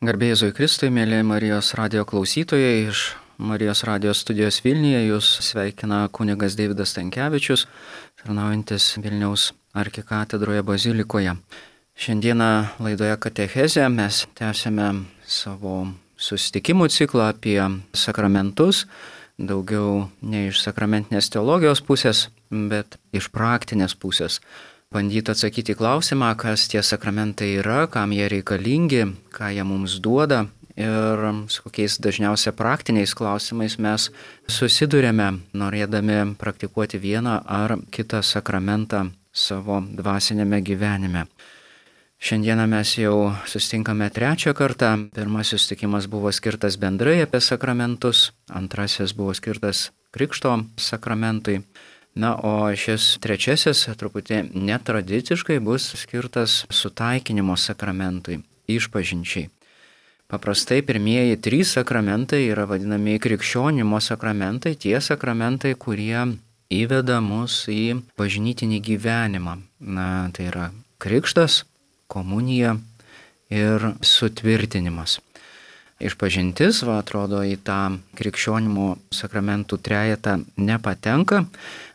Garbėjai Jėzui Kristui, mėly Marijos radijo klausytojai, iš Marijos radijos studijos Vilniuje jūs sveikina kunigas Deividas Stankevičius, tarnaujantis Vilniaus arkikatedroje bazilikoje. Šiandieną laidoje Katechezė mes tęsime savo susitikimų ciklą apie sakramentus, daugiau ne iš sakramentinės teologijos pusės, bet iš praktinės pusės. Bandyti atsakyti į klausimą, kas tie sakramentai yra, kam jie reikalingi, ką jie mums duoda ir su kokiais dažniausia praktiniais klausimais mes susidurėme, norėdami praktikuoti vieną ar kitą sakramentą savo dvasinėme gyvenime. Šiandieną mes jau susitinkame trečią kartą. Pirmasis susitikimas buvo skirtas bendrai apie sakramentus, antrasis buvo skirtas Krikšto sakramentui. Na, o šis trečiasis truputį netradiciškai bus skirtas sutaikinimo sakramentui, išpažinčiai. Paprastai pirmieji 3 sakramentai yra vadinami krikščionimo sakramentai, tie sakramentai, kurie įveda mus į bažnytinį gyvenimą. Na, tai yra krikštas, komunija ir sutvirtinimas. Išpažintis, atrodo, į tą krikščionimo sakramentų trejetą nepatenka,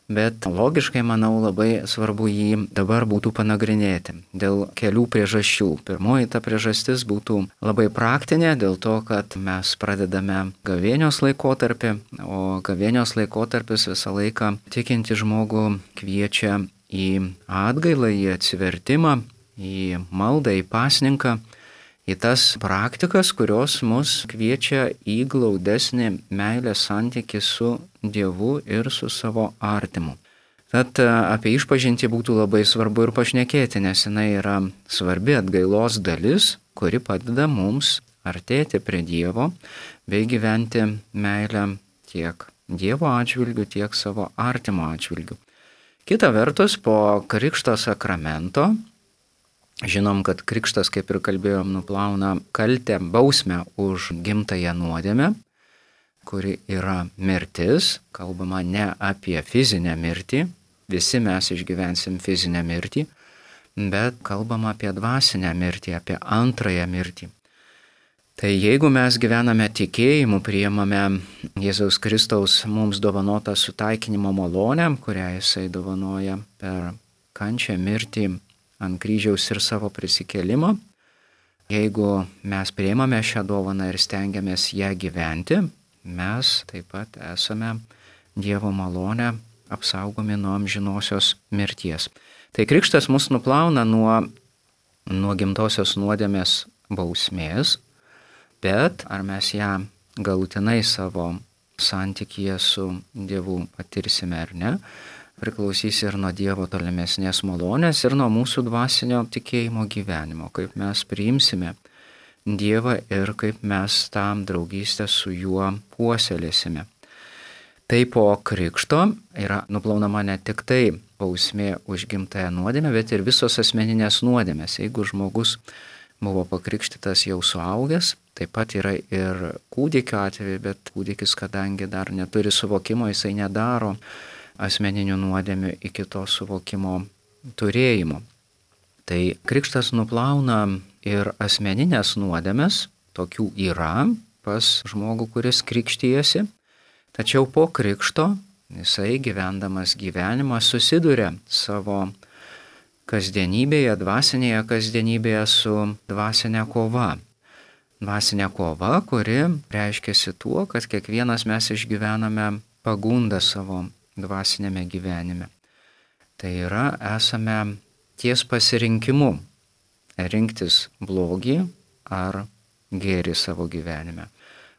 bet logiškai, manau, labai svarbu jį dabar būtų panagrinėti dėl kelių priežasčių. Pirmoji ta priežastis būtų labai praktinė, dėl to, kad mes pradedame gavėnios laikotarpį, o gavėnios laikotarpis visą laiką tikinti žmogų kviečia į atgailą, į atsivertimą, į maldą, į pasninką, į tas praktikas, kurios mus kviečia į glaudesnį meilės santykį su Dievu ir su savo artimu. Tad apie išpažintį būtų labai svarbu ir pašnekėti, nes jinai yra svarbi atgailos dalis, kuri padeda mums artėti prie Dievo bei gyventi meilę tiek Dievo atžvilgiu, tiek savo artimo atžvilgiu. Kita vertus, po Krikšto sakramento, žinom, kad krikštas, kaip ir kalbėjom, nuplauna kaltę, bausmę už gimtąją nuodėmę, kuri yra mirtis. Kalbama ne apie fizinę mirtį, visi mes išgyvensim fizinę mirtį, bet kalbama apie dvasinę mirtį, apie antrąją mirtį. Tai jeigu mes gyvename tikėjimu, priimame Jėzaus Kristaus mums dovanotą sutaikinimo malonę, kurią jisai dovanoja per kančią, mirtį ant kryžiaus ir savo prisikėlimą. Jeigu mes priimame šią dovaną ir stengiamės ją gyventi, mes taip pat esame Dievo malonę apsaugomi nuo amžinosios mirties. Tai krikštas mus nuplauna nuo gimtosios nuodėmės bausmės, bet ar mes ją galutinai savo santykyje su Dievu patirsime ar ne, priklausys ir nuo Dievo tolimesnės malonės ir nuo mūsų dvasinio tikėjimo gyvenimo, kaip mes priimsime Dievą ir kaip mes tą draugystę su juo puoselėsime. Tai po krikšto yra nuplaunama ne tik tai bausmė už gimtąją nuodėmę, bet ir visos asmeninės nuodėmės. Jeigu žmogus buvo pakrikštytas jau suaugęs, taip pat yra ir kūdikio atveju, bet kūdikis, kadangi dar neturi suvokimo, jisai nedaro asmeninių nuodėmių iki to suvokimo turėjimo. Tai krikštas nuplauna ir asmeninės nuodėmes, tokių yra pas žmogų, kuris krikštijasi, tačiau po krikšto jisai gyvendamas gyvenimą susiduria savo kasdienybėje, dvasinėje kasdienybėje su dvasinė kova. Dvasinė kova, kuri reiškiasi tuo, kad kiekvienas mes išgyvename pagundą savo dvasinėme gyvenime. Tai yra, esame ties pasirinkimu rinktis blogį ar gėrį savo gyvenime.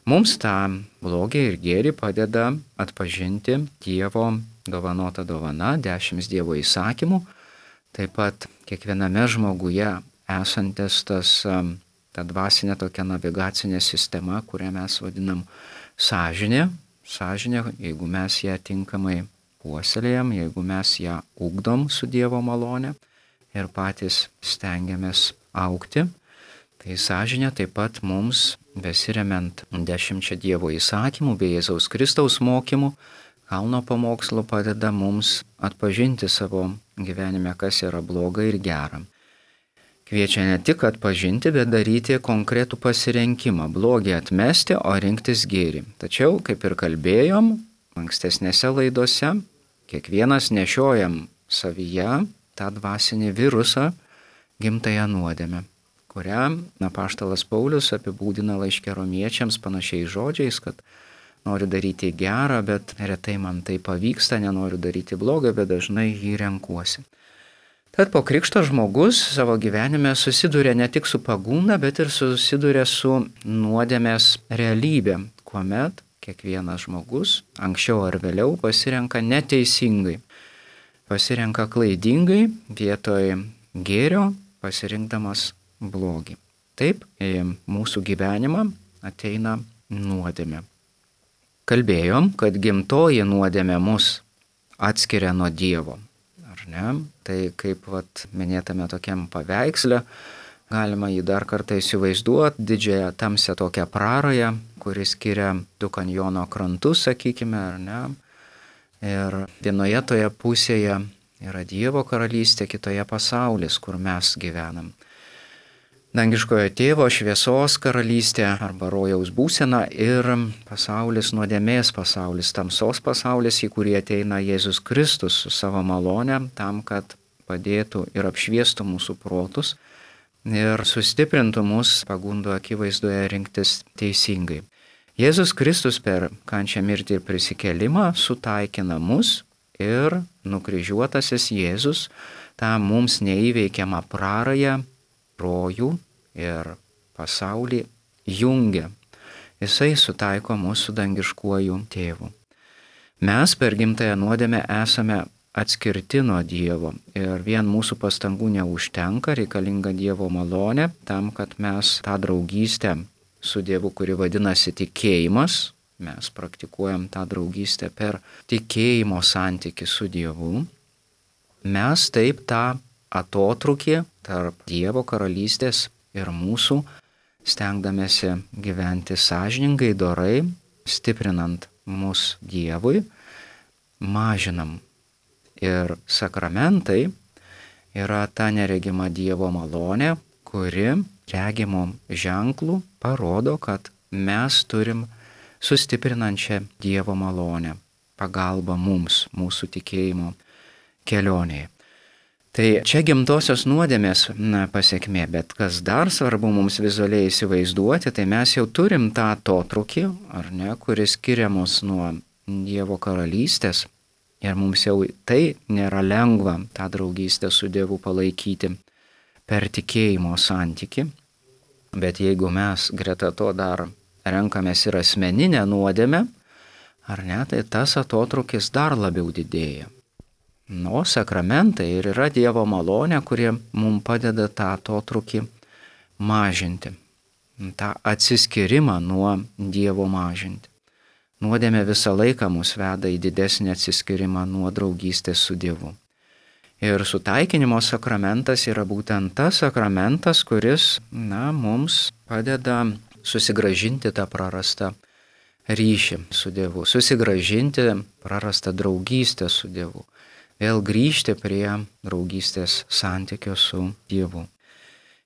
Mums tą blogį ir gėrį padeda atpažinti Dievo dovanota dovana, 10 Dievo įsakymų, taip pat kiekviename žmoguje esantis ta dvasinė tokia navigacinė sistema, kurią mes vadinam sąžinė. Sąžinė, jeigu mes ją tinkamai puoselėjam, jeigu mes ją ugdom su Dievo malone ir patys stengiamės augti, tai sąžinė taip pat mums, besiremiant 10 Dievo įsakymų bei Jėzaus Kristaus mokymų, kalno pamokslu padeda mums atpažinti savo gyvenime, kas yra bloga ir gera. Kviečia ne tik atpažinti, bet daryti konkretų pasirinkimą - blogį atmesti, o rinktis gėrį. Tačiau, kaip ir kalbėjom ankstesnėse laidose, kiekvienas nešiojam savyje tą dvasinį virusą, gimtąją nuodėmę, kurią apaštalas Paulius apibūdina laiške romiečiams panašiais žodžiais, kad noriu daryti gerą, bet retai man tai pavyksta, nenoriu daryti blogą, bet dažnai jį renkuosi. Tad po krikšto žmogus savo gyvenime susiduria ne tik su pagunda, bet ir susiduria su nuodėmės realybė, kuomet kiekvienas žmogus anksčiau ar vėliau pasirenka neteisingai, pasirenka klaidingai vietoj gėrio, pasirinkdamas blogį. Taip, į mūsų gyvenimą ateina nuodėmė. Kalbėjom, kad gimtoji nuodėmė mus atskiria nuo Dievo. Ar ne? Tai kaip minėtame tokiam paveiksle, galima jį dar kartą įsivaizduoti, didžiąją tamsią tokią prarają, kuris skiria du kanjono krantus, sakykime, ar ne? Ir vienoje toje pusėje yra Dievo karalystė, kitoje pasaulis, kur mes gyvenam. Dangiškojo tėvo šviesos karalystė arba rojaus būsena ir pasaulis nuodėmės pasaulis, tamsos pasaulis, į kurį ateina Jėzus Kristus su savo malone tam, kad padėtų ir apšviestų mūsų protus ir sustiprintų mus pagundų akivaizdoje rinktis teisingai. Jėzus Kristus per kančią, mirtį ir prisikėlimą sutaikina mus ir nukryžiuotasis Jėzus tą mums neįveikiamą prarają, rojų ir pasaulį jungia. Jisai sutaiko mūsų dangiškuoju tėvu. Mes per gimtąją nuodėmę esame atskirti nuo Dievo ir vien mūsų pastangų neužtenka, reikalinga Dievo malonė tam, kad mes tą draugystę su Dievu, kuri vadinasi tikėjimas, mes praktikuojam tą draugystę per tikėjimo santykį su Dievu, mes taip tą atotrūkį tarp Dievo karalystės ir mūsų, stengdamėsi gyventi sąžiningai, dorai, stiprinant mus Dievui, mažinam. Ir sakramentai yra ta neregima Dievo malonė, kuri regimų ženklų parodo, kad mes turim sustiprinančią Dievo malonę, pagalbą mums, mūsų tikėjimo kelionėje. Tai čia gimtosios nuodėmės pasiekmė, bet kas dar svarbu mums vizualiai įsivaizduoti, tai mes jau turim tą atotrūkį, ar ne, kuris skiria mus nuo Dievo karalystės ir mums jau tai nėra lengva tą draugystę su Dievu palaikyti per tikėjimo santykį, bet jeigu mes greta to dar renkamės ir asmeninę nuodėmę, ar ne, tai tas atotrūkis dar labiau didėja. O sakramentai ir yra Dievo malonė, kurie mums padeda tą atotrūkį mažinti, tą atsiskyrimą nuo Dievo mažinti. Nuodėmė visą laiką mus veda į didesnį atsiskyrimą nuo draugystės su Dievu. Ir sutaikinimo sakramentas yra būtent tas sakramentas, kuris, mums padeda susigrąžinti tą prarastą ryšį su Dievu, susigrąžinti prarastą draugystę su Dievu. Vėl grįžti prie draugystės santykio su Dievu.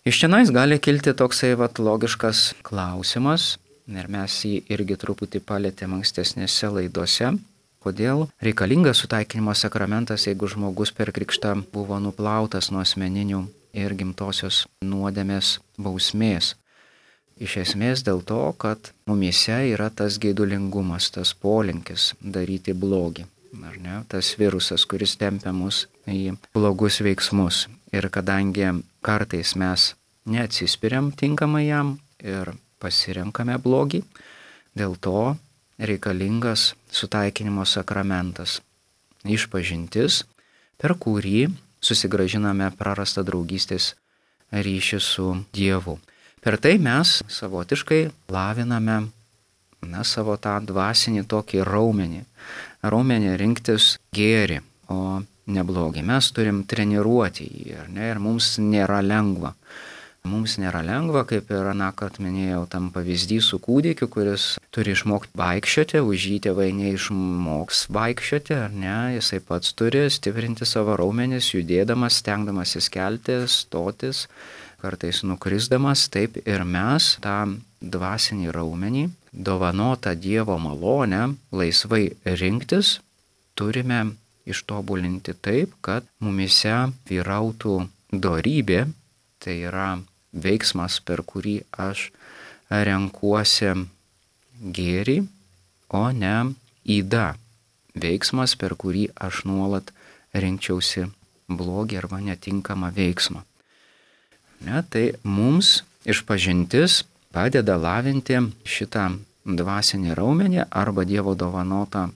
Iš čionais gali kilti toksai logiškas klausimas, ir mes jį irgi truputį palėtėm ankstesnėse laidose, kodėl reikalingas sutaikinimo sakramentas, jeigu žmogus per krikštą buvo nuplautas nuo asmeninių ir gimtosios nuodėmės bausmės. Iš esmės dėl to, kad mumyse yra tas geidulingumas, tas polinkis daryti blogį. Ar ne, tas virusas, kuris tempia mus į blogus veiksmus. Ir kadangi kartais mes neatsispiriam tinkamai jam ir pasirenkame blogį, dėl to reikalingas sutaikinimo sakramentas, išpažintis, per kurį susigrąžiname prarastą draugystės ryšį su Dievu. Per tai mes savotiškai laviname savo tą dvasinį tokį raumenį rinktis gėrį, o ne blogį. Mes turim treniruoti jį, ar ne, ir mums nėra lengva. Mums nėra lengva, kaip ir anąkart minėjau, tam pavyzdį su kūdikiu, kuris turi išmokti vaikščioti, už jį tėvai neišmoks vaikščioti, ar ne, jisai pats turi stiprinti savo raumenis, judėdamas, stengdamasis kelti, stotis, kartais nukrisdamas, taip ir mes tą dvasinį raumenį, dovanotą Dievo malonę, laisvai rinktis, turime ištobulinti taip, kad mumise vyrautų dorybė, tai yra veiksmas, per kurį aš renkuosi gėrį, o ne yda. Veiksmas, per kurį aš nuolat rinkčiausi blogį arba netinkamą veiksmą. Tai mums išpažintis padeda lavinti šitą dvasinį raumenį arba Dievo dovanotą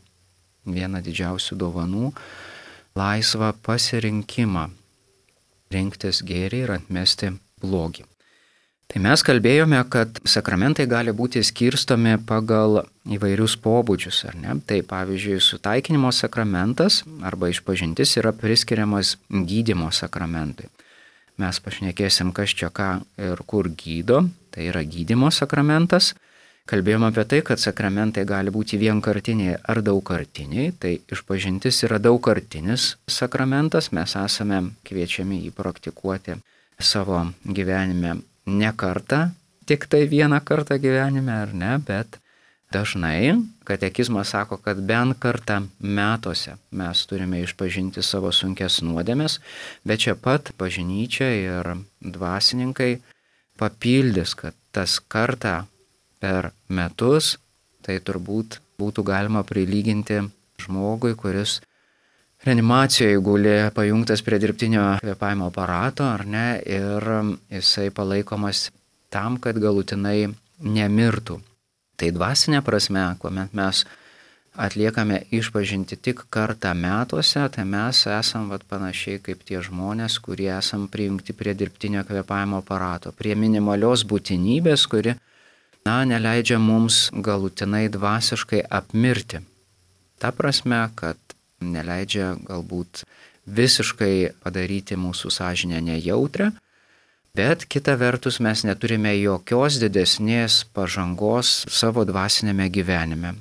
vieną didžiausių dovanų - laisvą pasirinkimą rinktis gėrį ir atmesti blogį. Tai mes kalbėjome, kad sakramentai gali būti skirstomi pagal įvairius pobūdžius, ar ne? Tai pavyzdžiui, sutaikinimo sakramentas arba išpažintis yra priskiriamas gydymo sakramentui. Mes pašnekėsim, kas čia ką ir kur gydo, tai yra gydymo sakramentas. Kalbėjome apie tai, kad sakramentai gali būti vienkartiniai ar daugkartiniai, tai išpažintis yra daugkartinis sakramentas, mes esame kviečiami jį praktikuoti savo gyvenime ne kartą, tik tai vieną kartą gyvenime, ar ne, bet dažnai katekizmas sako, kad bent kartą metuose mes turime išpažinti savo sunkes nuodėmes, bet čia pat bažnyčia ir dvasininkai papildys, kad tas kartą per metus, tai turbūt būtų galima prilyginti žmogui, kuris reanimacijoje guli pajungtas prie dirbtinio kvėpavimo aparato, ar ne, ir jisai palaikomas tam, kad galutinai nemirtų. Tai dvasinė prasme, kuomet mes atliekame išpažinti tik kartą metuose, tai mes esam panašiai kaip tie žmonės, kurie esam prijungti prie dirbtinio kvėpavimo aparato, prie minimalios būtinybės, kuri, neleidžia mums galutinai dvasiškai apmirti. Ta prasme, kad neleidžia galbūt visiškai padaryti mūsų sąžinę nejautrę, bet kita vertus mes neturime jokios didesnės pažangos savo dvasinėme gyvenime.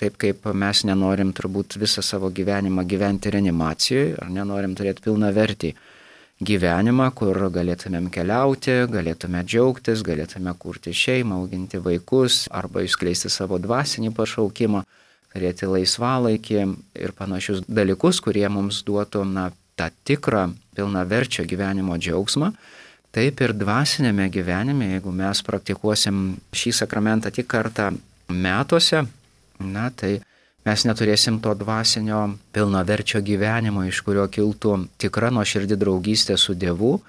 Taip kaip mes nenorim turbūt visą savo gyvenimą gyventi reanimacijoje, ar nenorim turėti pilnavertį gyvenimą, kur galėtumėm keliauti, galėtume džiaugtis, galėtume kurti šeimą, auginti vaikus arba išskleisti savo dvasinį pašaukimą, turėti laisvalaikį ir panašius dalykus, kurie mums duotų tą tikrą pilnaverčio gyvenimo džiaugsmą. Taip ir dvasinėme gyvenime, jeigu mes praktikuosim šį sakramentą tik kartą metuose, tai mes neturėsim to dvasinio pilnaverčio gyvenimo, iš kurio kiltų tikra nuoširdi draugystė su Dievu,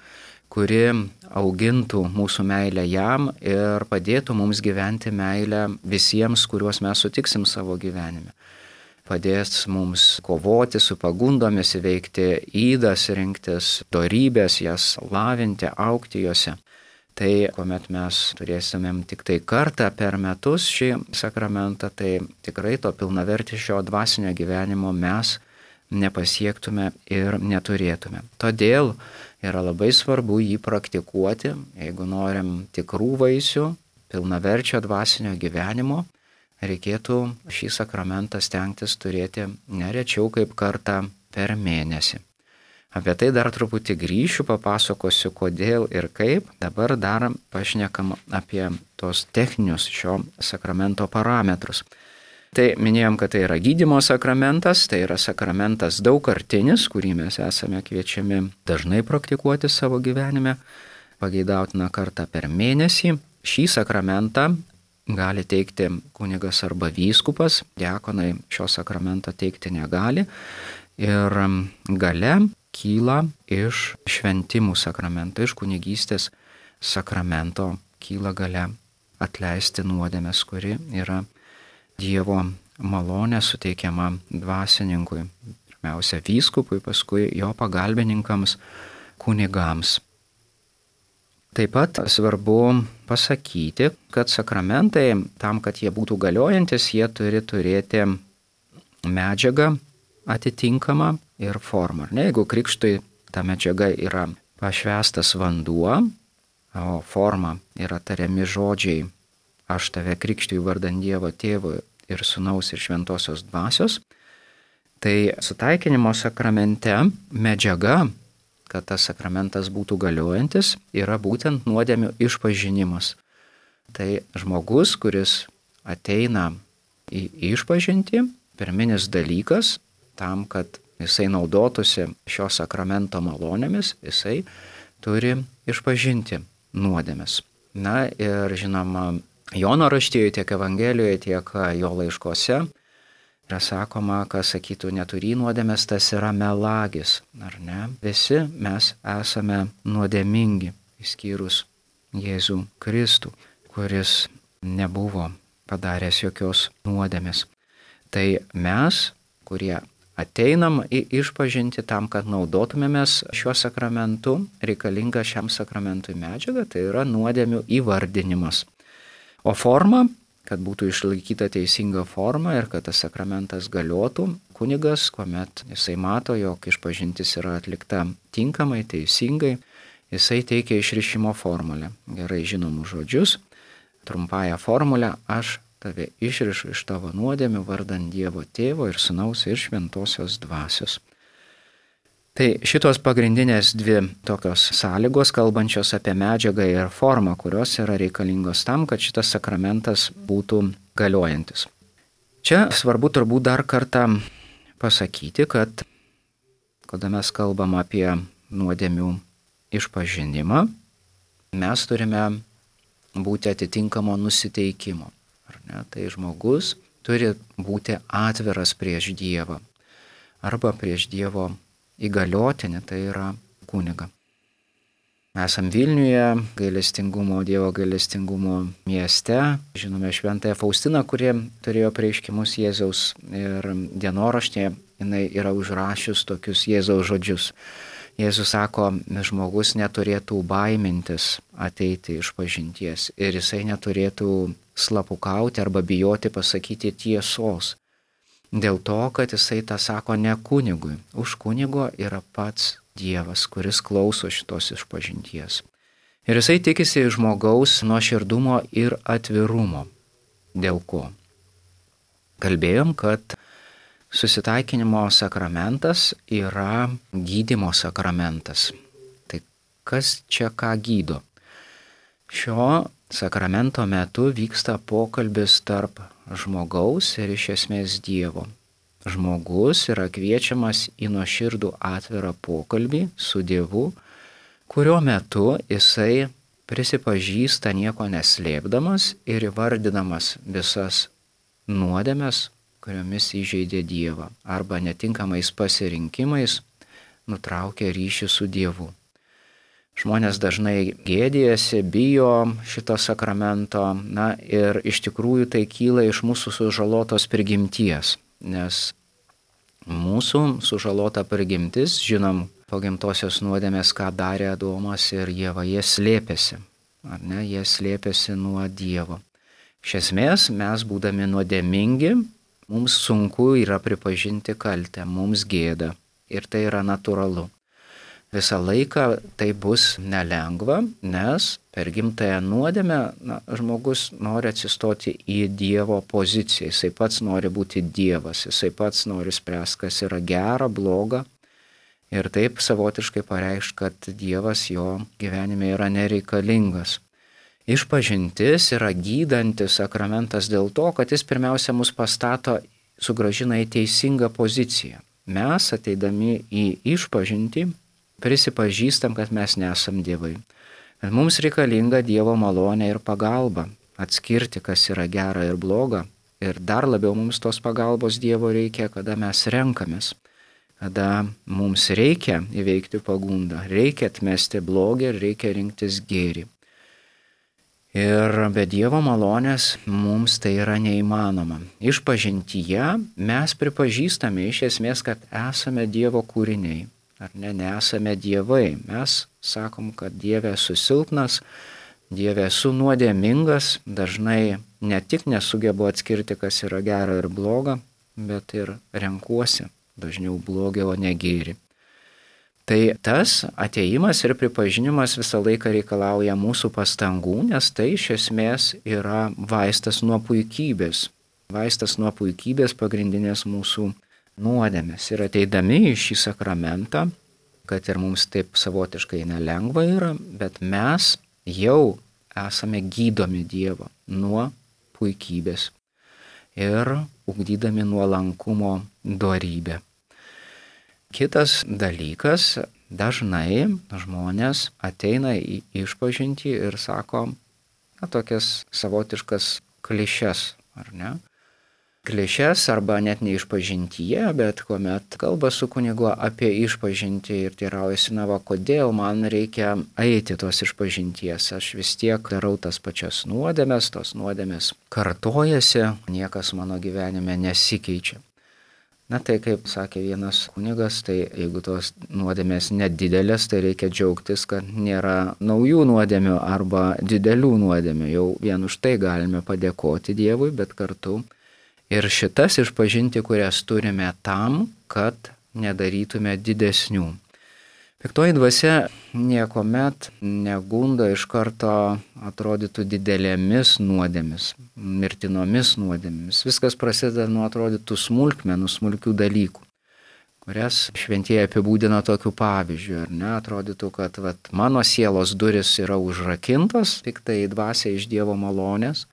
kuri augintų mūsų meilę jam ir padėtų mums gyventi meilę visiems, kuriuos mes sutiksim savo gyvenime. Padės mums kovoti su pagundomis, įveikti ydas, rinktis dorybės, jas lavinti, augti juose. Tai kuomet mes turėsimėm tik tai kartą per metus šį sakramentą, tai tikrai to pilnavertiško dvasinio gyvenimo mes nepasiektume ir neturėtume. Todėl yra labai svarbu jį praktikuoti, jeigu norim tikrų vaisių, pilnaverčio dvasinio gyvenimo, reikėtų šį sakramentą stengtis turėti nerečiau kaip kartą per mėnesį. Apie tai dar truputį grįšiu, papasakosiu kodėl ir kaip. Dabar dar pašnekam apie tos techninius šio sakramento parametrus. Tai minėjom, kad tai yra gydymo sakramentas, tai yra sakramentas daugkartinis, kurį mes esame kviečiami dažnai praktikuoti savo gyvenime, pageidautina kartą per mėnesį. Šį sakramentą gali teikti kunigas arba vyskupas, diakonai šio sakramento teikti negali. Ir gale kyla iš šventimų sakramento, iš kunigystės sakramento kyla gale atleisti nuodėmes, kuri yra Dievo malonė suteikiama dvasininkui, pirmiausia vyskupui, paskui jo pagalbininkams, kunigams. Taip pat svarbu pasakyti, kad sakramentai, tam, kad jie būtų galiojantis, jie turi turėti medžiagą atitinkamą ir formą. Jeigu krikštui ta medžiaga yra pašvęstas vanduo, o forma yra tariami žodžiai aš tave krikštiju vardan Dievo Tėvo ir Sūnaus ir Šventosios Dvasios, tai sutaikinimo sakramente medžiaga, kad tas sakramentas būtų galiojantis, yra būtent nuodėmių išpažinimas. Tai žmogus, kuris ateina į išpažintį, pirminis dalykas tam, kad jisai naudotųsi šio sakramento malonėmis, jisai turi išpažinti nuodėmes. Na ir žinoma, Jono raštijoje tiek Evangelijoje, tiek jo laiškose yra sakoma, kas sakytų neturį nuodėmės, tas yra melagis, ar ne? Visi mes esame nuodėmingi, išskyrus Jėzų Kristų, kuris nebuvo padaręs jokios nuodėmės. Tai mes, kurie ateinam į išpažinti tam, kad naudotumėmės šiuo sakramentu, reikalinga šiam sakramentui medžiaga, tai yra nuodėmių įvardinimas. O forma, kad būtų išlaikyta teisinga forma ir kad tas sakramentas galiotų, kunigas, kuomet jisai mato, jog išpažintis yra atlikta tinkamai, teisingai, jisai teikia išrišimo formulę, gerai žinomus žodžius, trumpąją formulę: aš tave išrišu iš tavo nuodėmių vardant Dievo Tėvo ir Sūnaus ir Šventosios Dvasios. Tai šitos pagrindinės dvi tokios sąlygos, kalbančios apie medžiagą ir formą, kurios yra reikalingos tam, kad šitas sakramentas būtų galiojantis. Čia svarbu turbūt dar kartą pasakyti, kad kada mes kalbam apie nuodėmių išpažinimą, mes turime būti atitinkamo nusiteikimo. Ar ne? Tai žmogus turi būti atviras prieš Dievą arba prieš Dievo įgaliotinį, tai yra kunigą. Esam Vilniuje, Dievo gailestingumo mieste. Žinome šventąją Faustiną, kurie turėjo apreiškimus Jėzaus, ir dienoraštyje jinai yra užrašius tokius Jėzaus žodžius. Jėzus sako, žmogus neturėtų baimintis ateiti išpažinties ir jisai neturėtų slapukauti arba bijoti pasakyti tiesos. Dėl to, kad jisai tą sako ne kunigui. Už kunigo yra pats Dievas, kuris klauso šitos išpažinties. Ir jisai tikisi žmogaus nuoširdumo ir atvirumo. Dėl ko? Kalbėjom, kad susitaikinimo sakramentas yra gydymo sakramentas. Tai kas čia ką gydo? Šio sakramento metu vyksta pokalbis tarp žmogaus ir iš esmės Dievo. Žmogus yra kviečiamas į nuoširdų atvirą pokalbį su Dievu, kurio metu jisai prisipažįsta nieko neslėpdamas ir įvardydamas visas nuodėmes, kuriomis įžeidė Dievą, arba netinkamais pasirinkimais nutraukė ryšį su Dievu. Žmonės dažnai gėdijasi, bijo šito sakramento, ir iš tikrųjų tai kyla iš mūsų sužalotos prigimties, nes mūsų sužalota prigimtis, žinom, po gimtosios nuodėmės, ką darė Adomas ir Ieva, jie slėpėsi, ar ne, jie slėpėsi nuo Dievo. Iš esmės, mes būdami nuodėmingi, mums sunku yra pripažinti kaltę, mums gėda ir tai yra natūralu. Visą laiką tai bus nelengva, nes per gimtąją nuodėmę žmogus nori atsistoti į Dievo poziciją, jisai pats nori būti Dievas, jisai pats nori spręsti, kas yra gera, bloga ir taip savotiškai pareikšti, kad Dievas jo gyvenime yra nereikalingas. Išpažintis yra gydantis sakramentas dėl to, kad jis pirmiausia mus pastato, sugrąžina į teisingą poziciją. Mes ateidami į išpažintį prisipažįstam, kad mes nesam dievai. Bet mums reikalinga Dievo malonė ir pagalba atskirti, kas yra gera ir bloga. Ir dar labiau mums tos pagalbos Dievo reikia, kada mes renkamės. Kada mums reikia įveikti pagundą, reikia atmesti blogį ir reikia rinktis gėrį. Ir be Dievo malonės mums tai yra neįmanoma. Išpažintyje mes pripažįstame iš esmės, kad esame Dievo kūriniai. Ar ne, nesame dievai. Mes sakom, kad Dieve esu silpnas, Dieve esu nuodėmingas, dažnai ne tik nesugebu atskirti, kas yra gera ir bloga, bet ir renkuosi dažniau blogį, o ne gėrį. Tai tas atėjimas ir pripažinimas visą laiką reikalauja mūsų pastangų, nes tai iš esmės yra vaistas nuo puikybės. Vaistas nuo puikybės pagrindinės mūsų nuodėmės. Ir ateidami į šį sakramentą kad ir mums taip savotiškai nelengva yra, bet mes jau esame gydomi Dievo nuo puikybės ir ugdydami nuolankumo dorybę. Kitas dalykas, dažnai žmonės ateina į išpažintį ir sako tokias savotiškas klišes, ar ne? Klišes arba net ne išpažintyje, bet kuomet kalba su kunigu apie išpažintį ir teiraujasi, kodėl man reikia eiti tos išpažinties, aš vis tiek darau tas pačias nuodėmes, tos nuodėmes kartojasi, niekas mano gyvenime nesikeičia. Tai kaip sakė vienas kunigas, tai jeigu tos nuodėmės nedidelės, tai reikia džiaugtis, kad nėra naujų nuodėmių arba didelių nuodėmių. Jau vien už tai galime padėkoti Dievui, bet kartu ir šitas išpažinti, kurias turime tam, kad nedarytume didesnių. Piktoji dvasia niekuomet negunda iš karto atrodytų didelėmis nuodėmis, mirtinomis nuodėmis. Viskas prasideda nuo atrodytų smulkmenų, smulkių dalykų, kurias šventieji apibūdina tokiu pavyzdžiu, ar ne? Atrodytų, kad mano sielos duris yra užrakintos, piktai dvasia iš Dievo malonės,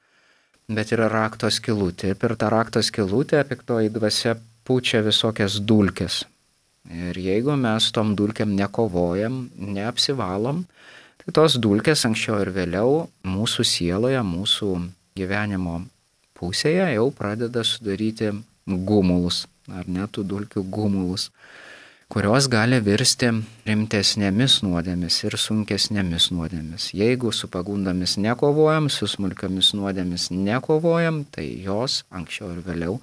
bet yra rakto skylutė. Per tą rakto skylutę piktoji dvasia pučia visokias dulkes. Ir jeigu mes tom dulkėm nekovojam, neapsivalom, tai tos dulkės anksčiau ir vėliau mūsų sieloje, mūsų gyvenimo pusėje jau pradeda sudaryti gumulus, ar net tų dulkių gumulus, kurios gali virsti rimtesnėmis nuodėmis ir sunkesnėmis nuodėmis. Jeigu su pagundomis nekovojam, su smulkiomis nuodėmis nekovojam, tai jos anksčiau ir vėliau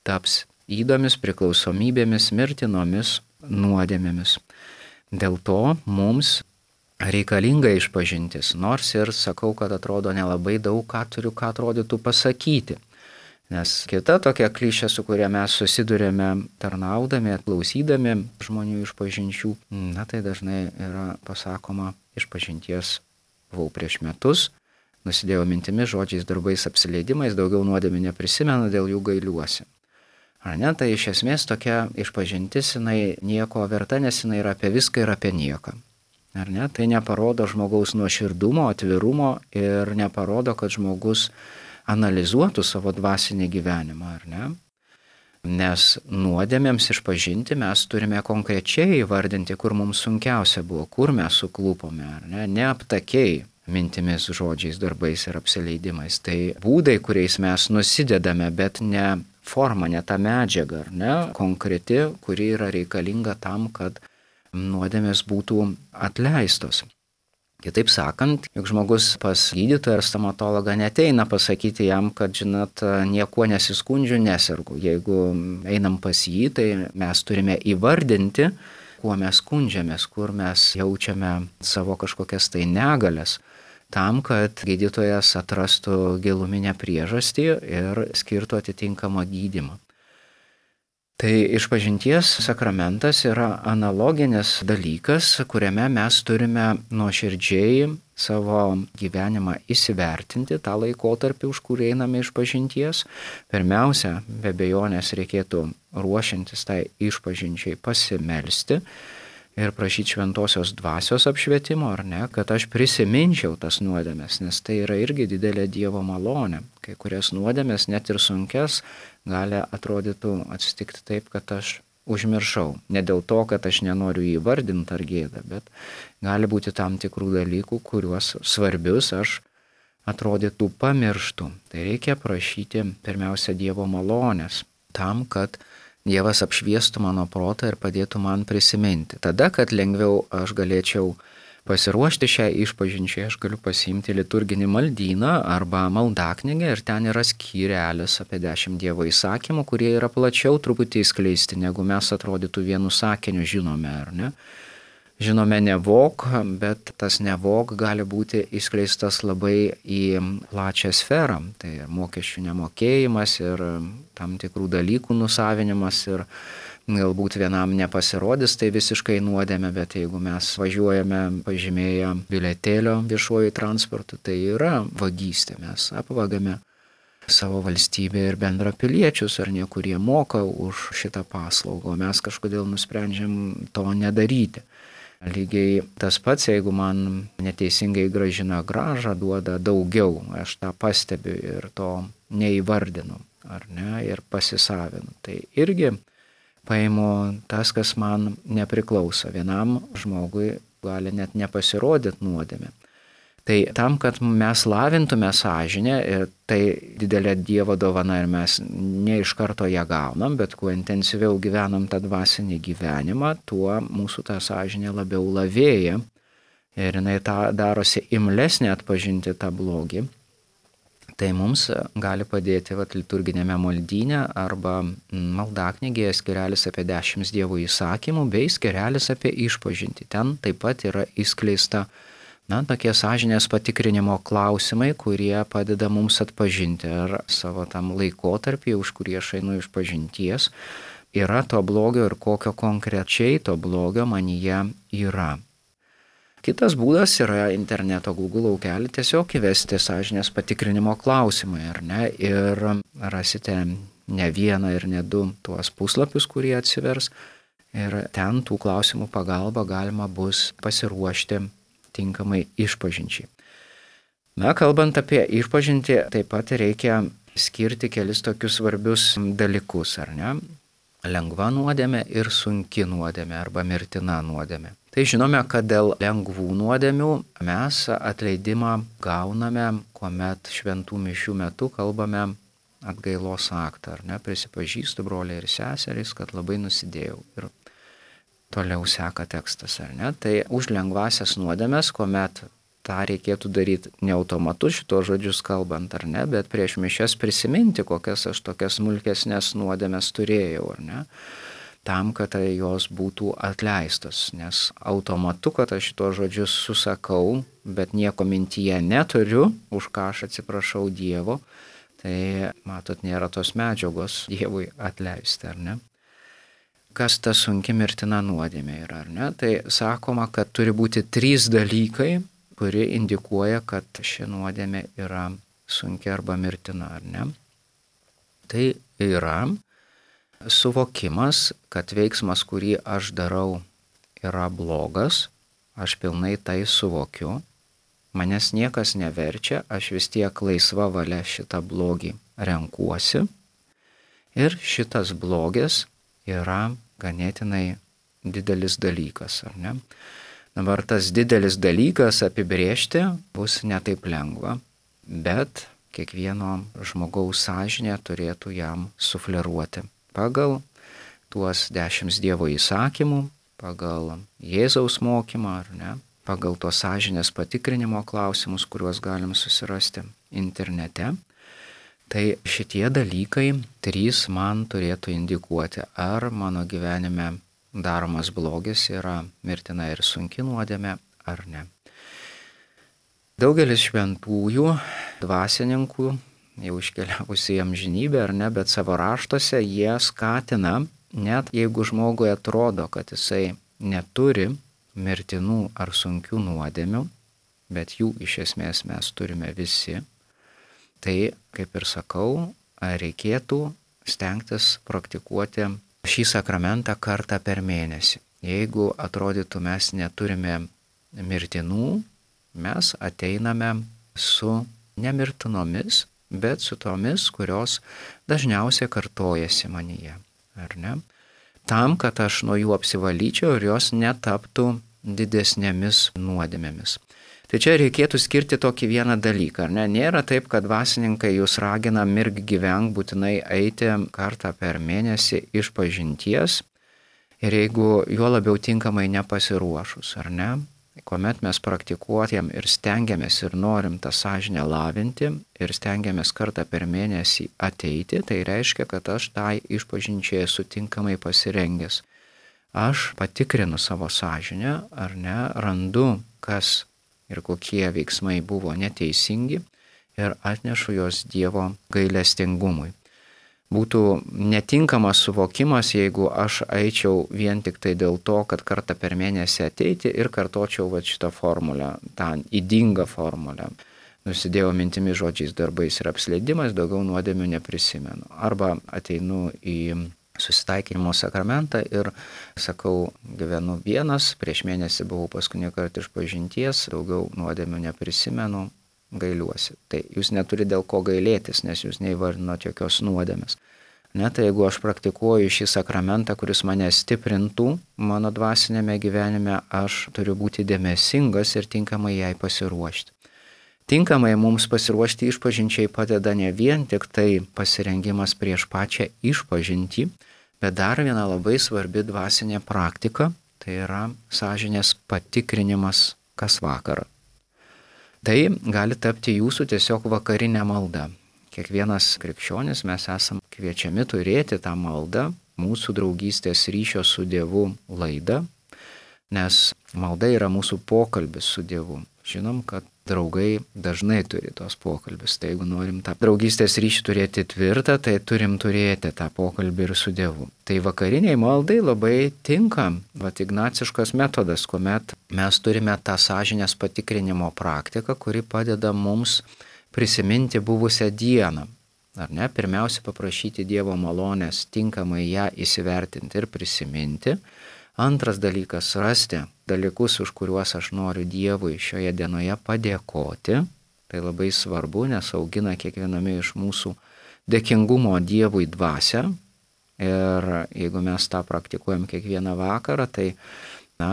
taps ydomis, priklausomybėmis, mirtinomis nuodėmėmis. Dėl to mums reikalinga išpažintis, nors ir sakau, kad atrodo nelabai daug ką turiu, ką atrodytų pasakyti. Nes kita tokia klišė, su kuria mes susidurėme tarnaudami, klausydami žmonių išpažinčių, tai dažnai yra pasakoma išpažinties buvau prieš metus, nusidėjau mintimis, žodžiais, darbais, apsileidimais, daugiau nuodėmių neprisimenu, dėl jų gailiuosi. Ar ne? Tai iš esmės tokia išpažintis, jinai nieko verta, nes jinai yra apie viską ir apie nieką. Ar ne? Tai neparodo žmogaus nuoširdumo, atvirumo ir neparodo, kad žmogus analizuotų savo dvasinį gyvenimą, ar ne? Nes nuodėmėms išpažinti mes turime konkrečiai įvardinti, kur mums sunkiausia buvo, kur mes suklupome, ar ne? Neaptakiai mintimis, žodžiais, darbais ir apsileidimais. Tai būdai, kuriais mes nusidedame, bet ne forma, ne ta medžiaga, ar ne, konkreti, kuri yra reikalinga tam, kad nuodėmės būtų atleistos. Kitaip sakant, juk žmogus pas gydytoją ar stomatologą neteina pasakyti jam, kad, žinot, niekuo nesiskundžiu, nesergu. Jeigu einam pas jį, tai mes turime įvardinti, kuo mes skundžiamės, kur mes jaučiame savo kažkokias tai negalias, tam, kad gydytojas atrastų giluminę priežastį ir skirtų atitinkamą gydymą. Tai išpažinties sakramentas yra analoginis dalykas, kuriame mes turime nuoširdžiai savo gyvenimą įsivertinti tą laikotarpį, už kurį einame išpažinties. Pirmiausia, be abejonės reikėtų ruošiantis tai išpažinčiai pasimelsti ir prašyti šventosios dvasios apšvietimo, ar ne, kad aš prisiminčiau tas nuodėmes, nes tai yra irgi didelė Dievo malonė. Kai kurias nuodėmes, net ir sunkes, gali atrodytų atsitikti taip, kad aš užmiršau. Ne dėl to, kad aš nenoriu įvardinti ar gėdą, bet gali būti tam tikrų dalykų, kuriuos svarbius aš atrodytų pamirštu. Tai reikia prašyti pirmiausia Dievo malonės tam, kad Dievas apšviestų mano protą ir padėtų man prisiminti. Tada, kad lengviau aš galėčiau pasiruošti šią išpažinčiai, aš galiu pasiimti liturginį maldyną arba maldaknygę ir ten yra skyrelis apie 10 Dievo įsakymų, kurie yra plačiau truputį įskleisti, negu mes atrodytų vienu sakiniu žinome, ar ne? Žinome nevok, bet tas nevok gali būti išskleistas labai į plačią sferą. Tai mokesčių nemokėjimas ir tam tikrų dalykų nusavinimas ir galbūt vienam nepasirodys tai visiškai nuodėmė, bet jeigu mes važiuojame pažymėję bilietėlio viešuoju transportu, tai yra vagystė, mes apvagame savo valstybę ir bendrapiliečius, ar ne, kurie moka už šitą paslaugą, o mes kažkodėl nusprendžiam to nedaryti. Lygiai tas pats, jeigu man neteisingai grąžina grąžą, duoda daugiau, aš tą pastebiu ir to neįvardinu, ar ne, ir pasisavinu. Tai irgi paimu tas, kas man nepriklauso. Vienam žmogui gali net nepasirodyti nuodėmė. Tai tam, kad mes lavintume sąžinę, tai didelė Dievo dovana ir mes ne iš karto ją gaunam, bet kuo intensyviau gyvenam tą dvasinį gyvenimą, tuo mūsų ta sąžinė labiau lavėja ir jinai darosi imlesnė atpažinti tą blogį. Tai mums gali padėti liturginėme maldyne arba maldaknygėje skirelis apie 10 Dievo įsakymų bei skirelis apie išpažintį. Ten taip pat yra įskleista tokie sąžinės patikrinimo klausimai, kurie padeda mums atpažinti, ar savo tam laikotarpį, už kurį aš einu išpažinties, yra to blogio ir kokio konkrečiai to blogio manyje yra. Kitas būdas yra interneto Google laukelį tiesiog įvesti sąžinės patikrinimo klausimai, ar ne, ir rasite ne vieną ir ne du tuos puslapius, kurie atsivers, ir ten tų klausimų pagalba galima bus pasiruošti tinkamai išpažinčiai. Kalbant apie išpažintį, taip pat reikia skirti kelis tokius svarbius dalykus, ar ne? Lengva nuodėmė ir sunki nuodėmė arba mirtina nuodėmė. Tai žinome, kad dėl lengvų nuodėmių mes atleidimą gauname, kuomet šventų mišių metu kalbame atgailos aktą, ar ne? Prisipažįstu, broliai ir seserys, kad labai nusidėjau. Ir toliau seka tekstas, ar ne? Tai už lengvasias nuodėmes, kuomet tą reikėtų daryti ne automatu šito žodžius kalbant, ar ne, bet prieš mišias prisiminti, kokias aš tokias smulkesnės nuodėmes turėjau, ar ne, tam, kad jos būtų atleistos, nes automatu, kad aš šito žodžius susakau, bet nieko mintyje neturiu, už ką aš atsiprašau Dievo, tai, matot, nėra tos medžiagos Dievui atleisti, ar ne? Kas ta sunki mirtina nuodėmė yra, ar ne? Tai sakoma, kad turi būti 3 dalykai, kurie indikuoja, kad ši nuodėmė yra sunki arba mirtina, ar ne? Tai yra suvokimas, kad veiksmas, kurį aš darau, yra blogas, aš pilnai tai suvokiu, manęs niekas neverčia, aš vis tiek laisva valia šitą blogį renkuosi ir šitas blogis yra ganėtinai didelis dalykas, ar ne? Dabar tas didelis dalykas apibrėžti bus netaip lengva, bet kiekvieno žmogaus sąžinė turėtų jam sufleruoti pagal tuos 10 Dievo įsakymų, pagal Jėzaus mokymą, ar ne, pagal tos sąžinės patikrinimo klausimus, kuriuos galim susirasti internete. Tai šitie dalykai 3 man turėtų indikuoti, ar mano gyvenime daromas blogis yra mirtina ir sunki nuodėmė, ar ne. Daugelis šventųjų dvasininkų, jau iškeliavusi į amžinybę, ar ne, bet savo raštuose jie skatina, net jeigu žmogui atrodo, kad jisai neturi mirtinų ar sunkių nuodėmių, bet jų iš esmės mes turime visi, tai, kaip ir sakau, reikėtų stengtis praktikuoti šį sakramentą kartą per mėnesį. Jeigu atrodytų mes neturime mirtinų, mes ateiname su nemirtinomis, bet su tomis, kurios dažniausiai kartojasi manyje, ar ne? Tam, kad aš nuo jų apsivalyčiau ir jos netaptų didesnėmis nuodėmėmis. Tai čia reikėtų skirti tokį vieną dalyką, ar ne? Nėra taip, kad dvasininkai jūs ragina mirk gyvenk būtinai eiti kartą per mėnesį išpažinties ir jeigu juo labiau tinkamai nepasiruošus, ar ne? Kuomet mes praktikuojam ir stengiamės ir norim tą sąžinę lavinti ir stengiamės kartą per mėnesį ateiti, tai reiškia, kad aš tai išpažinčiai esu tinkamai pasirengęs. Aš patikrinu savo sąžinę, ar ne, randu, kas ir kokie veiksmai buvo neteisingi ir atnešu jos Dievo gailestingumui. Būtų netinkamas suvokimas, jeigu aš eičiau vien tik tai dėl to, kad kartą per mėnesį ateiti ir kartočiau šitą formulę, tą ydingą formulę. nusidėjau mintimi, žodžiais, darbais ir apsileidimas, daugiau nuodėmių neprisimenu. Arba ateinu į susitaikinimo sakramentą ir sakau, gyvenu vienas, prieš mėnesį buvau paskutinį kartą išpažinties, daugiau nuodėmių neprisimenu, gailiuosi. Tai jūs neturite dėl ko gailėtis, nes jūs neįvardinote jokios nuodėmės. Tai jeigu aš praktikuoju šį sakramentą, kuris mane stiprintų mano dvasinėme gyvenime, aš turiu būti dėmesingas ir tinkamai jai pasiruošti. Tinkamai mums pasiruošti išpažinčiai padeda ne vien tik tai pasirengimas prieš pačią išpažintį, bet dar viena labai svarbi dvasinė praktika, tai yra sąžinės patikrinimas kas vakarą. Tai gali tapti jūsų tiesiog vakarinė malda. Kiekvienas krikščionis mes esam kviečiami turėti tą maldą, mūsų draugystės ryšio su Dievu laidą, nes malda yra mūsų pokalbis su Dievu. Žinom, kad draugai dažnai turi tos pokalbis. Tai jeigu norim tą draugystės ryšį turėti tvirtą, tai turim turėti tą pokalbį ir su Dievu. Tai vakariniai maldai labai tinka ignaciškas metodas, kuomet mes turime tą sąžinės patikrinimo praktiką, kuri padeda mums prisiminti buvusią dieną. Ar ne? Pirmiausia, paprašyti Dievo malonės, tinkamai ją įsivertinti ir prisiminti. Antras dalykas - rasti dalykus, už kuriuos aš noriu Dievui šioje dienoje padėkoti. Tai labai svarbu, nes augina kiekviename iš mūsų dėkingumo Dievui dvasią. Ir jeigu mes tą praktikuojam kiekvieną vakarą, tai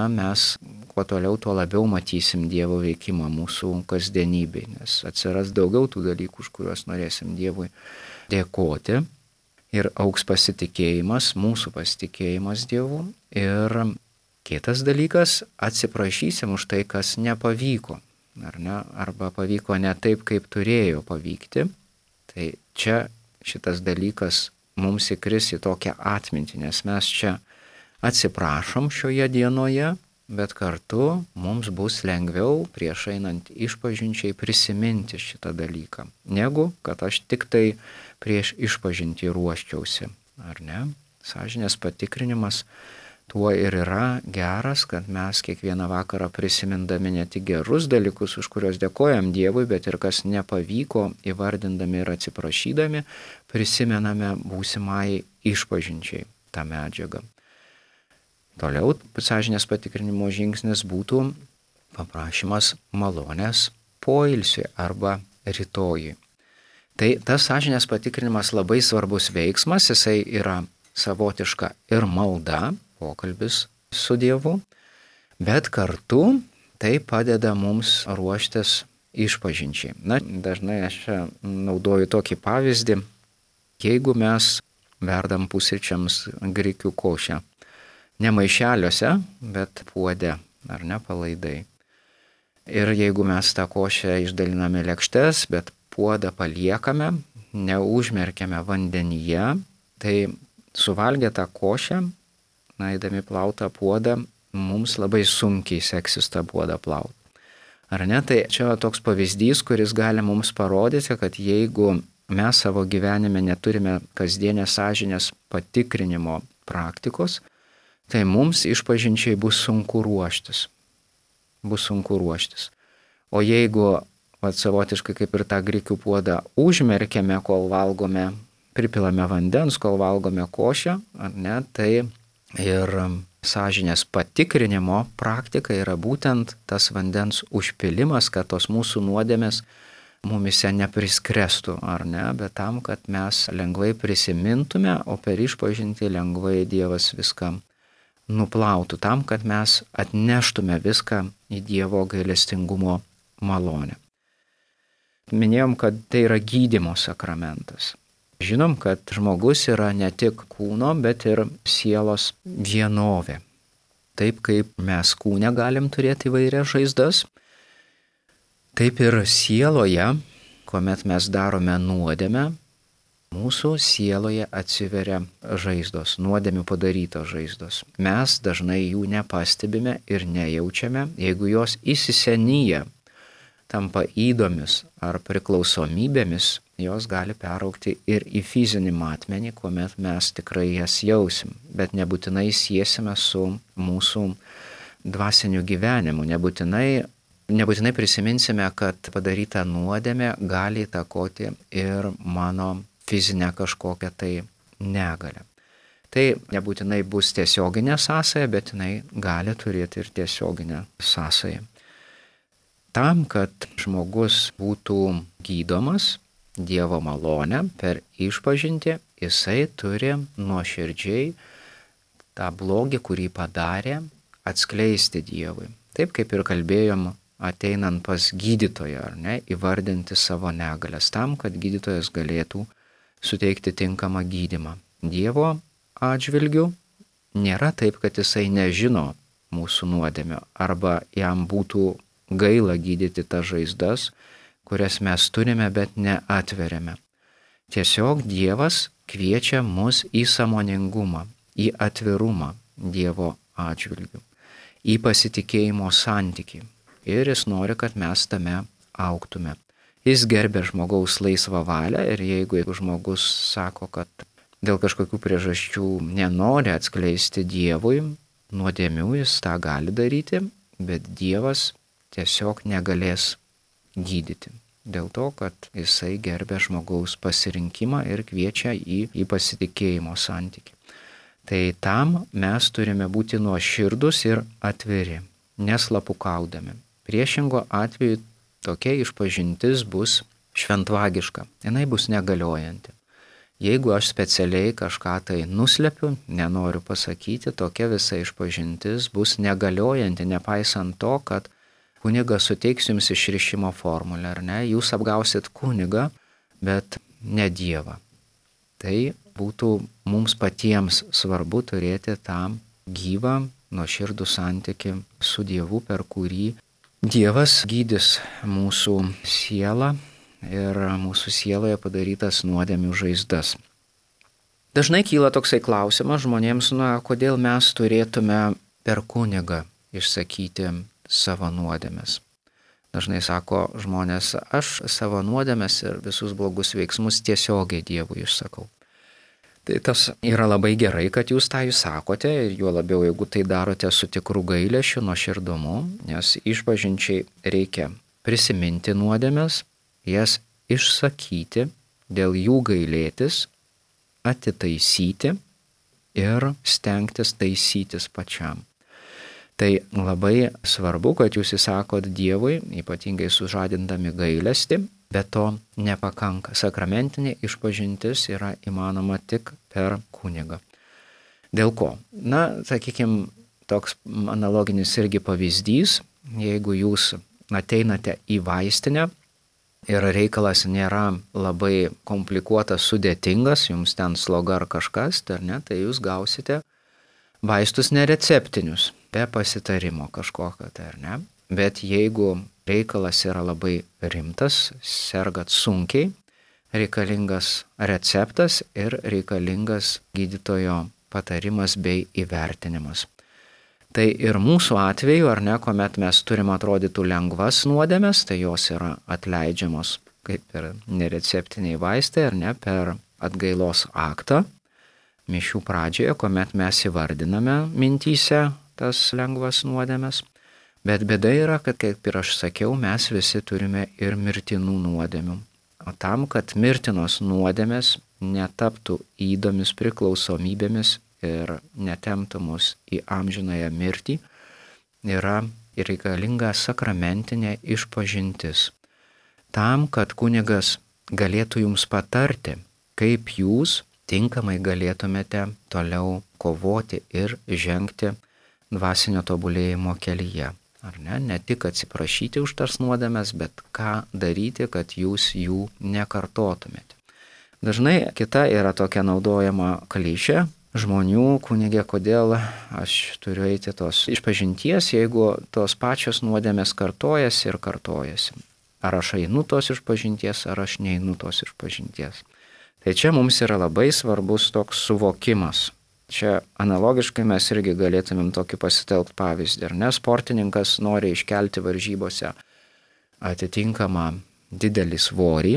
mes kuo toliau, tuo labiau matysim Dievo veikimą mūsų kasdienybėj, nes atsiras daugiau tų dalykų, už kuriuos norėsim Dievui dėkoti. Ir augs pasitikėjimas, mūsų pasitikėjimas Dievu. Ir kitas dalykas, atsiprašysim už tai, kas nepavyko, ar ne? Arba pavyko ne taip, kaip turėjo pavykti. Tai čia šitas dalykas mums įkris į tokią atmintį, nes mes čia atsiprašom šioje dienoje, bet kartu mums bus lengviau prieš einant išpažinčiai prisiminti šitą dalyką, negu kad aš tik tai prieš išpažintį ruoščiausi, ar ne? Sąžinės patikrinimas tuo ir yra geras, kad mes kiekvieną vakarą prisimindami ne tik gerus dalykus, už kuriuos dėkojam Dievui, bet ir kas nepavyko, įvardindami ir atsiprašydami, prisimename būsimai išpažinčiai tą medžiagą. Toliau sąžinės patikrinimo žingsnis būtų paprašymas malonės poilsiui arba rytojui. Tai tas sąžinės patikrinimas labai svarbus veiksmas, jisai yra savotiška ir malda, pokalbis su Dievu, bet kartu tai padeda mums ruoštis išpažinčiai. Dažnai aš čia naudoju tokį pavyzdį, jeigu mes verdam pusryčiams grikių košę, ne maišeliuose, bet puode, ar ne, palaidai. Ir jeigu mes tą košę išdaliname lėkštes, bet puodą paliekame, neužmerkiame vandenyje, tai suvalgę tą košę, eidami plautą puodą, mums labai sunkiai seksis tą puodą plauti. Ar ne? Tai čia toks pavyzdys, kuris gali mums parodyti, kad jeigu mes savo gyvenime neturime kasdienės sąžinės patikrinimo praktikos, tai mums išpažinčiai bus sunku ruoštis. O jeigu savotiškai kaip ir tą grikių puodą užmerkiame, kol valgome, pripilame vandens, kol valgome košę, ar ne, tai ir sąžinės patikrinimo praktika yra būtent tas vandens užpilimas, kad tos mūsų nuodėmės mumise nepriskrestų, ar ne, bet tam, kad mes lengvai prisimintume, o per išpažintį lengvai Dievas viską nuplautų, tam, kad mes atneštume viską į Dievo gailestingumo malonę. Minėjom, kad tai yra gydymo sakramentas. Žinom, kad žmogus yra ne tik kūno, bet ir sielos vienovė. Taip kaip mes kūne galim turėti įvairias žaizdas, taip ir sieloje, kuomet mes darome nuodėmę, mūsų sieloje atsiveria žaizdos, nuodėmių padarytos žaizdos. Mes dažnai jų nepastebime ir nejaučiame, jeigu jos įsisenyja, tampa ydomis ar priklausomybėmis, jos gali peraugti ir į fizinį matmenį, kuomet mes tikrai jas jausim, bet nebūtinai siesime su mūsų dvasiniu gyvenimu, nebūtinai nebūtinai prisiminsime, kad padaryta nuodėmė gali įtakoti ir mano fizinę kažkokią tai negalę. Tai nebūtinai bus tiesioginė sąsaja, bet jinai gali turėti ir tiesioginę sąsają. Tam, kad žmogus būtų gydomas Dievo malonę per išpažintį, jisai turi nuoširdžiai tą blogį, kurį padarė, atskleisti Dievui. Taip kaip ir kalbėjom, ateinant pas gydytoją, ar ne, įvardinti savo negalės tam, kad gydytojas galėtų suteikti tinkamą gydymą. Dievo atžvilgių nėra taip, kad jisai nežino mūsų nuodėmio arba jam būtų gaila gydyti tas žaizdas, kurias mes turime, bet neatveriame. Tiesiog Dievas kviečia mus į sąmoningumą, į atvirumą Dievo atžvilgių, į pasitikėjimo santykį. Ir jis nori, kad mes tame augtume. Jis gerbia žmogaus laisvą valią ir jeigu žmogus sako, kad dėl kažkokių priežasčių nenori atskleisti Dievui nuodėmių, jis tą gali daryti, bet Dievas tiesiog negalės gydyti. Dėl to, kad jisai gerbia žmogaus pasirinkimą ir kviečia į pasitikėjimo santykį. Tai tam mes turime būti nuoširdus ir atviri, neslapukaudami. Priešingo atveju tokia išpažintis bus šventvagiška, jinai bus negaliojanti. Jeigu aš specialiai kažką tai nuslepiu, nenoriu pasakyti, tokia visa išpažintis bus negaliojanti, nepaisant to, kad kunigas suteiks jums išrišimo formulę, ar ne? Jūs apgausit kunigą, bet ne Dievą. Tai būtų mums patiems svarbu turėti tą gyvą, nuoširdų santykį su Dievu, per kurį Dievas gydys mūsų sielą ir mūsų sieloje padarytas nuodėmių žaizdas. Dažnai kyla toksai klausimas žmonėms, kodėl mes turėtume per kunigą išsakyti savo nuodėmes. Dažnai sako žmonės, aš savo nuodėmes ir visus blogus veiksmus tiesiogiai Dievui išsakau. Tai tas yra labai gerai, kad jūs tą sakote ir juo labiau, jeigu tai darote su tikru gailesčiu, nuoširdumu, nes išpažinčiai reikia prisiminti nuodėmes, jas išsakyti, dėl jų gailėtis, atitaisyti ir stengtis taisytis pačiam. Tai labai svarbu, kad jūs įsakot Dievui, ypatingai sužadindami gailestį, bet to nepakanka. Sakramentinė išpažintis yra įmanoma tik per kunigą. Dėl ko? Sakykime, toks analoginis irgi pavyzdys, jeigu jūs ateinate į vaistinę ir reikalas nėra labai komplikuotas, sudėtingas, jums ten sloga ar kažkas, tai jūs gausite vaistus nereceptinius, be pasitarimo kažkokio, Bet jeigu reikalas yra labai rimtas, sergat sunkiai, reikalingas receptas ir reikalingas gydytojo patarimas bei įvertinimas. Tai ir mūsų atveju, kuomet mes turim atrodytų lengvas nuodėmes, tai jos yra atleidžiamos kaip ir nereceptiniai vaistai, per atgailos aktą. Mišių pradžioje, kuomet mes įvardiname mintyse tas lengvas nuodėmes. Bet bėda yra, kad, kaip ir aš sakiau, mes visi turime ir mirtinų nuodėmių. O tam, kad mirtinos nuodėmės netaptų ydomis, priklausomybėmis ir netemptų mus į amžinąją mirtį, yra reikalinga sakramentinė išpažintis. Tam, kad kunigas galėtų jums patarti, kaip jūs tinkamai galėtumėte toliau kovoti ir žengti dvasinio tobulėjimo kelyje. Ne tik atsiprašyti už tas nuodėmes, bet ką daryti, kad jūs jų nekartotumėte. Dažnai kita yra tokia naudojama klišė žmonių, kunigė, kodėl aš turiu eiti tos išpažinties, jeigu tos pačios nuodėmės kartojasi ir kartojasi. Ar aš einu tos išpažinties, ar aš neinu tos išpažinties. Tai čia mums yra labai svarbus toks suvokimas. Čia analogiškai mes irgi galėtumėm tokį pasitelkti pavyzdį. Sportininkas nori iškelti varžybose atitinkamą didelį svorį,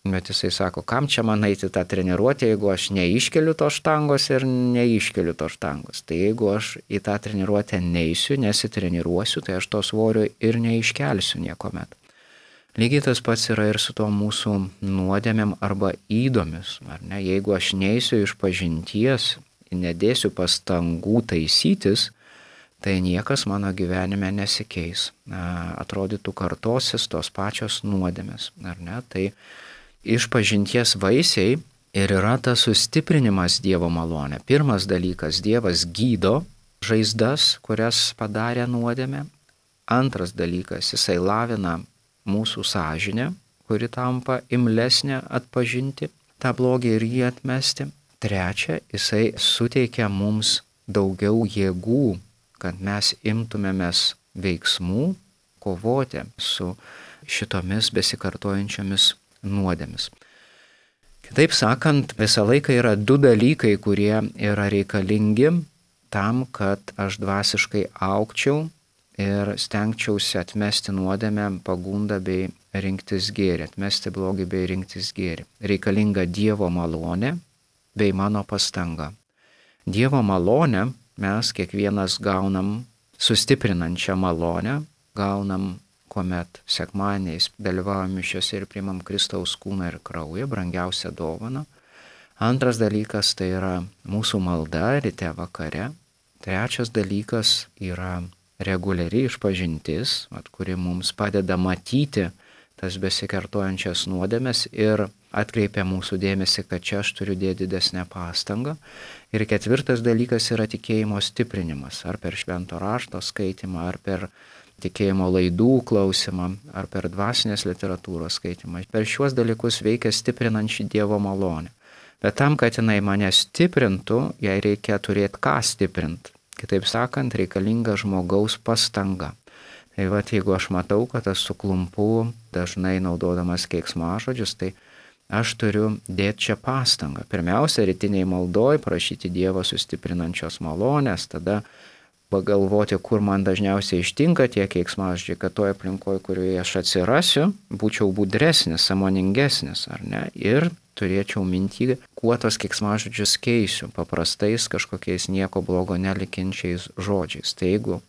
Bet jisai sako, kam čia man eiti tą treniruotę, jeigu aš neiškeliu to štangos ir neiškeliu to štangos. Tai jeigu aš į tą treniruotę neisiu, nesitreniruosiu, tai aš to svorio ir neiškelsiu niekuomet. Lygiai tas pats yra ir su tuo mūsų nuodėmėm arba įdomis. Ar ne? Jeigu aš neisiu iš pažinties, nedėsiu pastangų taisytis, tai niekas mano gyvenime nesikeis. Atrodytų kartosis tos pačios nuodėmės. Ar ne? Tai iš pažinties vaisiai ir yra tas sustiprinimas Dievo malonė. Pirmas dalykas, Dievas gydo žaizdas, kurias padarė nuodėmė. Antras dalykas, jisai lavina mūsų sąžinę, kuri tampa imlesnė atpažinti tą blogį ir jį atmesti. Trečia, jisai suteikia mums daugiau jėgų, kad mes imtumėmės veiksmų kovoti su šitomis besikartojančiomis nuodėmis. Kitaip sakant, visą laiką yra du dalykai, kurie yra reikalingi tam, kad aš dvasiškai augčiau ir stengčiausi atmesti nuodėmę, pagundą bei rinktis gėrį, atmesti blogį bei rinktis gėrį. Reikalinga Dievo malonė bei mano pastanga. Dievo malonę mes kiekvienas gaunam sustiprinančią malonę, gaunam, kuomet sekmadieniais dalyvaujam mišiose ir priimam Kristaus kūną ir kraują, brangiausią dovaną. Antras dalykas tai yra mūsų malda ryte vakare. Trečias dalykas yra reguliari išpažintis, kuri mums padeda matyti tas besikartojančias nuodėmes ir atkreipia mūsų dėmesį, kad čia aš turiu dėti didesnę pastangą. Ir ketvirtas dalykas yra tikėjimo stiprinimas, ar per švento rašto skaitimą, ar per tikėjimo laidų klausimą, ar per dvasinės literatūros skaitimą. Per šiuos dalykus veikia stiprinančią Dievo malonę. Bet tam, kad jinai mane stiprintų, jai reikia turėti ką stiprinti. Kitaip sakant, reikalinga žmogaus pastanga. Tai jeigu aš matau, kad aš suklumpu dažnai naudodamas keiksmažodžius, tai aš turiu dėti čia pastangą. Pirmiausia, rytiniai maldoj prašyti Dievo sustiprinančios malonės, tada pagalvoti, kur man dažniausiai ištinka tie keiksmažodžiai, kad toje aplinkoje, kurioje aš atsirasiu, būčiau budresnis, sąmoningesnis, ar ne? Ir turėčiau mintį, kuo tos keiksmažodžius keisiu, paprastais kažkokiais nieko blogo nelikinčiais žodžiais. Tai jeigu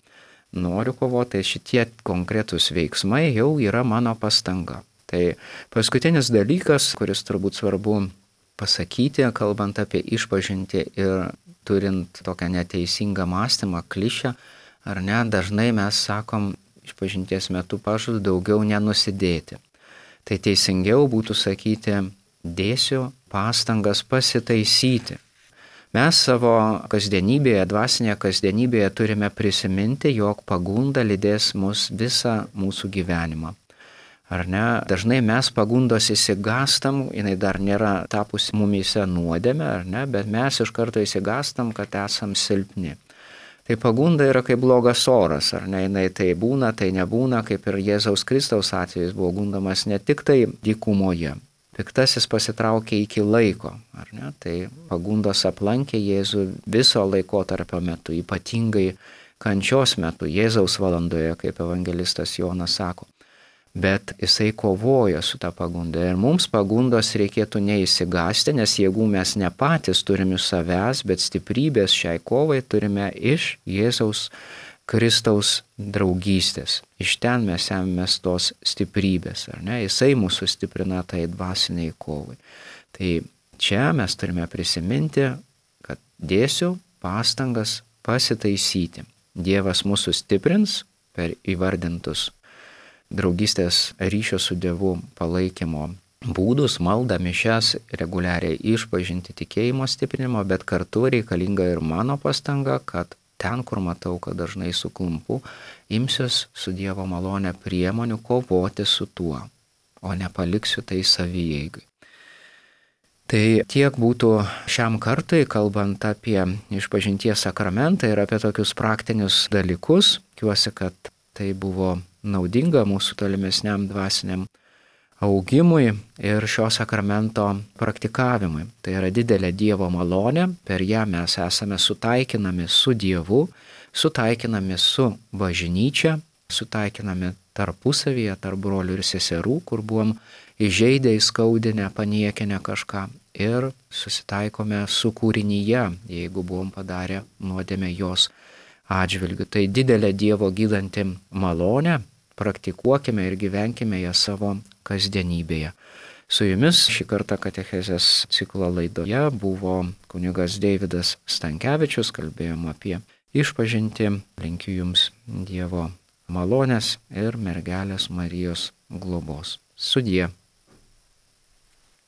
noriu kovoti, tai šitie konkretūs veiksmai jau yra mano pastanga. Tai paskutinis dalykas, kuris turbūt svarbu pasakyti, kalbant apie išpažintį ir turint tokią neteisingą mąstymą, klišę, ar ne, dažnai mes sakom išpažinties metu pažadu daugiau nenusidėti. Tai teisingiau būtų sakyti, dėsiu pastangas pasitaisyti. Mes savo kasdienybėje, dvasinėje kasdienybėje turime prisiminti, jog pagunda lydės mus visą mūsų gyvenimą. Ar ne? Dažnai mes pagundos įsigastam, jinai dar nėra tapusi mumyse nuodėmė, ar ne? Bet mes iš karto įsigastam, kad esam silpni. Tai pagunda yra kaip blogas oras, ar ne? Jinai tai būna, tai nebūna, kaip ir Jėzaus Kristaus atvejais buvo gundomas ne tik tai dykumoje. Piktasis pasitraukė iki laiko, ar ne? Tai pagundos aplankė Jėzų viso laikotarpio metu, ypatingai kančios metu, Jėzaus valandoje, kaip evangelistas Jonas sako. Bet jisai kovoja su ta pagunda ir mums pagundos reikėtų neįsigąsti, nes jėgų mes ne patys turime iš savęs, bet stiprybės šiai kovai turime iš Jėzaus Kristaus draugystės. Iš ten mes ėmėmės tos stiprybės, ar ne? Jisai mūsų stiprina tai dvasiniai kovai. Tai čia mes turime prisiminti, kad dėsiu pastangas pasitaisyti. Dievas mūsų stiprins per įvardintus draugystės ryšio su Dievu palaikymo būdus, maldą, mišias, reguliariai išpažinti tikėjimo stiprinimo, bet kartu reikalinga ir mano pastanga, kad ten, kur matau, kad dažnai suklumpu, imsiuos su Dievo malonė priemonių kovoti su tuo, o nepaliksiu tai savieigai. Tai tiek būtų šiam kartui, kalbant apie išpažinties sakramentą ir apie tokius praktinius dalykus. Tikiuosi, kad tai buvo naudinga mūsų tolimesniam dvasiniam augimui ir šio sakramento praktikavimui. Tai yra didelė Dievo malonė, per ją mes esame sutaikinami su Dievu, sutaikinami su bažnyčia, sutaikinami tarpusavyje, tarp brolių ir seserų, kur buvom įžeidę, įskaudinę, paniekinę kažką ir susitaikome su kūrinyje, jeigu buvom padarę nuodėmę jos atžvilgiu. Tai didelė Dievo gydanti malonė, praktikuokime ir gyvenkime ją savo kasdienybėje. Su jumis šį kartą katechezės ciklo laidoje buvo kunigas Deividas Stankevičius, kalbėjom apie išpažintį, linkiu jums Dievo malonės ir mergelės Marijos globos. Sudie.